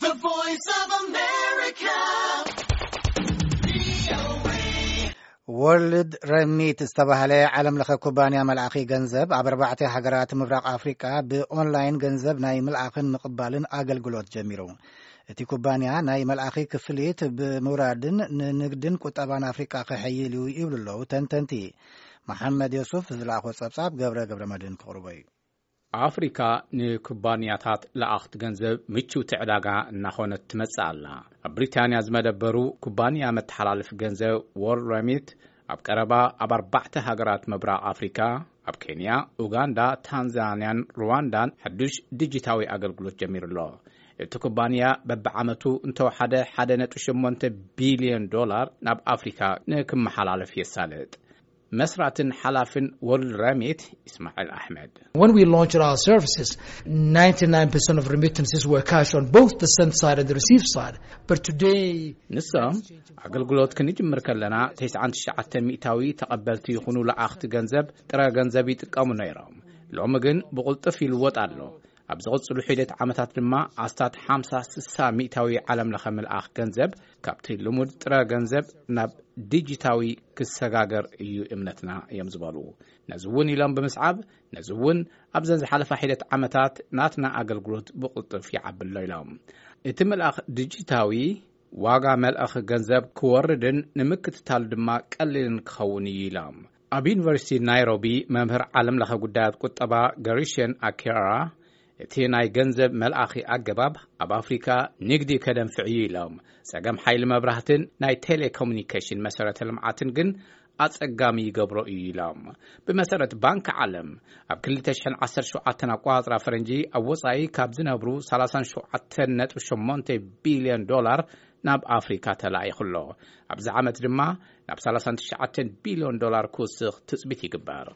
The Voice of America. World Remit ዝተባህለ ዓለም ለኸ ኩባንያ መልኣኺ ገንዘብ ኣብ ኣርባዕተ ሃገራት ምብራቕ ኣፍሪቃ ብኦንላይን ገንዘብ ናይ ምልኣኽን ምቕባልን ኣገልግሎት ጀሚሩ። እቲ ኩባንያ ናይ መልኣኺ ክፍሊት ብምውራድን ንንግድን ቁጠባን ኣፍሪቃ ክሕይል እዩ ይብሉ ኣለዉ ተንተንቲ። መሓመድ ዮሱፍ ዝለኣኾ ጸብጻብ ገብረ ገብረ መድህን ክቕርቦ እዩ። ኣፍሪካ ንኩባንያታት ለኣኽቲ ገንዘብ ምቹውቲ ዕዳጋ እናኾነት ትመጽእ ኣላ። ኣብ ብሪታንያ ዝመደበሩ ኩባንያ መተሓላለፊ ገንዘብ ዎርልድ ረሚት ኣብ ቀረባ ኣብ ኣርባዕተ ሃገራት ምብራቕ ኣፍሪካ፣ ኣብ ኬንያ፣ ኡጋንዳ፣ ታንዛንያን ሩዋንዳን ሓዱሽ ዲጂታዊ ኣገልግሎት ጀሚሩ ኣሎ። እቲ ኩባንያ በብዓመቱ እንተወሓደ ሓደ ነጥቢ ሸሞንተ ቢልዮን ዶላር ናብ ኣፍሪካ ንክመሓላለፍ የሳልጥ። መስራትን ሓላፍን ወርልድ ረሚት ኢስማዒል ኣሕመድ። When we launched our services, ninety-nine percent of remittances were cash on both the send side and the receive side. But today, ንሶም ኣገልግሎት ክንጅምር ከለና ተስዓን ትሽዓተ ሚእታዊ ተቐበልቲ ይኹኑ ለኣኽቲ ገንዘብ ጥረ ገንዘብ ይጥቀሙ ነይሮም። ሎሚ ግን ብቕልጡፍ ይልወጥ ኣሎ። ኣብ ዝቕጽሉ ሒደት ዓመታት ድማ ኣስታት ሓምሳ ስሳ ሚእታዊ ዓለም ለኸ ምልኣኽ ገንዘብ ካብቲ ልሙድ ጥረ ገንዘብ ናብ ዲጂታዊ ክሰጋገር እዩ እምነትና እዮም ዝበሉ። ነዚ እውን ኢሎም ብምስዓብ፣ ነዚ እውን ኣብዘን ዝሓለፋ ሒደት ዓመታት ናትና ኣገልግሎት ብቕልጡፍ ይዓቢ ኣሎ ኢሎም። እቲ ምልኣኽ ዲጂታዊ ዋጋ መልኣኺ ገንዘብ ክወርድን ንምክትታል ድማ ቀሊልን ክኸውን እዩ ኢሎም። ኣብ ዩኒቨርሲቲ ናይሮቢ መምህር ዓለም ለኸ ጉዳያት ቁጠባ ገሪሽን ኣኪራ፣ እቲ ናይ ገንዘብ መልኣኺ ኣገባብ ኣብ ኣፍሪካ ንግዲ ከደንፍዕ እዩ ኢሎም። ጸገም ሓይሊ መብራህትን ናይ ቴሌኮሙኒኬሽን መሰረተ ልምዓትን ግን ኣጸጋሚ ይገብሮ እዩ ኢሎም። ብመሰረት ባንክ ዓለም፣ ኣብ ክልተ ሽሕን ዓሰርተ ሸውዓተን ኣቆጻጽራ ፈረንጂ ኣብ ወጻኢ ካብ ዝነብሩ ሰላሳን ሸውዓተን ነጥቢ ሸሞንተ ቢልዮን ዶላር ናብ ኣፍሪካ ተላኢኹ ኣሎ። ኣብዚ ዓመት ድማ ናብ ሰላሳን ትሽዓተን ቢልዮን ዶላር ክውስኽ ትጽቢት ይግበር።